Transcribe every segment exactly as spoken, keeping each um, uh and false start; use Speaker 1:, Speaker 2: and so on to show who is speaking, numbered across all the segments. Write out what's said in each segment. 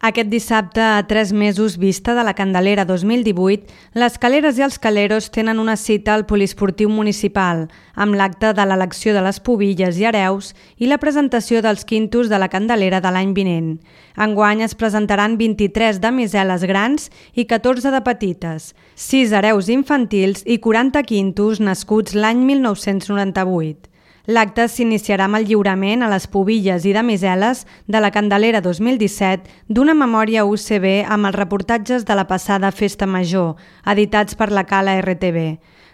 Speaker 1: Aquest dissabte, a tres mesos vista de la Candelera dos mil divuit, les caleres i els caleros tenen una cita al poliesportiu municipal, amb l'acte de l'elecció de les pubilles i hereus i la presentació dels quintos de la Candelera de l'any vinent. Enguany es presentaran vint-i-tres damiseles grans i catorze de petites, sis hereus infantils i quaranta quintos nascuts l'any mil nou-cents noranta-vuit. L'acte s'iniciarà amb el lliurament a les pubilles i damiseles de la Candelera dos mil disset d'una memòria U C B amb els reportatges de la passada Festa Major, editats per la Cala R T V.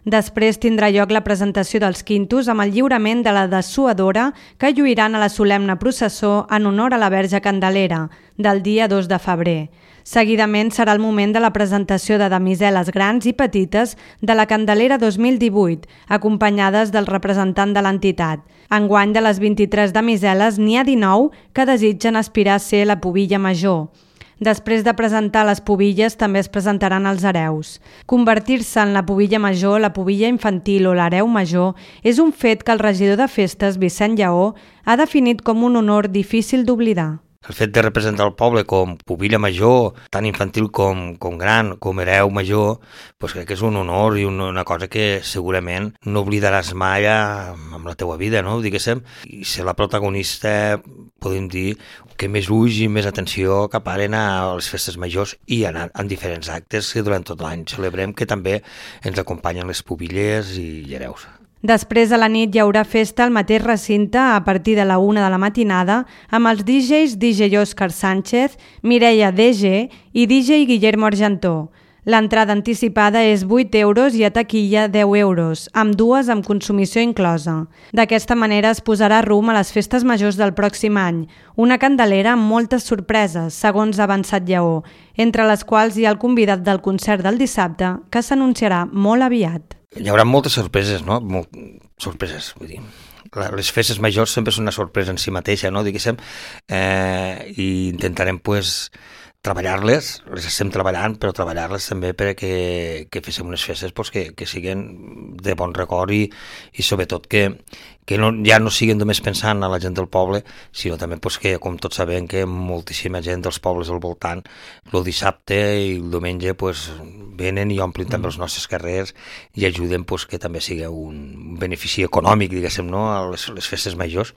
Speaker 1: Després tindrà lloc la presentació dels quintos amb el lliurament de la dessuadora que lluiran a la solemne processó en honor a la Verge Candelera, del dia dos de febrer. Seguidament serà el moment de la presentació de damiseles grans i petites de la Candelera dos mil divuit, acompanyades del representant de l'entitat. Enguany de les vint-i-tres damiseles n'hi ha dinou que desitgen aspirar a ser la pubilla major. Després de presentar les pubilles també es presentaran els hereus. Convertir-se en la pubilla major, la pubilla infantil o l'hereu major és un fet que el regidor de festes, Vicent Lleó, ha definit com un honor difícil d'oblidar.
Speaker 2: El fet de representar el poble com pubilla major, tant infantil com, com gran, com hereu major, doncs crec que és un honor i una cosa que segurament no oblidaràs mai amb la teua vida, no? Diguéssim, i ser la protagonista, podem dir, que més ulls i més atenció caparen a les festes majors i anar en diferents actes que durant tot l'any celebrem, que també ens acompanyen les pubilles i hereus.
Speaker 1: Després a la nit hi haurà festa al mateix recinte a partir de la una de la matinada amb els D Js D J Òscar Sánchez, Mireia D G i D J Guillermo Argentó. L'entrada anticipada és vuit euros i a taquilla deu euros, amb dues amb consumició inclosa. D'aquesta manera es posarà rumb a les festes majors del pròxim any, una Candelera amb moltes sorpreses, segons ha avançat Lleó, entre les quals hi ha el convidat del concert del dissabte, que s'anunciarà molt aviat.
Speaker 2: Hi haurà moltes sorpreses, no? Molt sorpreses, vull dir. Les festes majors sempre són una sorpresa en si mateixa, no? Diguéssim, eh, i intentarem, pues, treballar-les, les estem treballant, però treballar-les també perquè que féssim unes festes pues, que, que siguin de bon record i, i sobretot que, que no, ja no siguin només pensant a la gent del poble, sinó també pues, que, com tots sabem, que moltíssima gent dels pobles al voltant el dissabte i el diumenge pues, venen i omplin també els nostres carrers i ajuden pues, que també sigui un benefici econòmic, diguéssim, no? a les, les festes majors.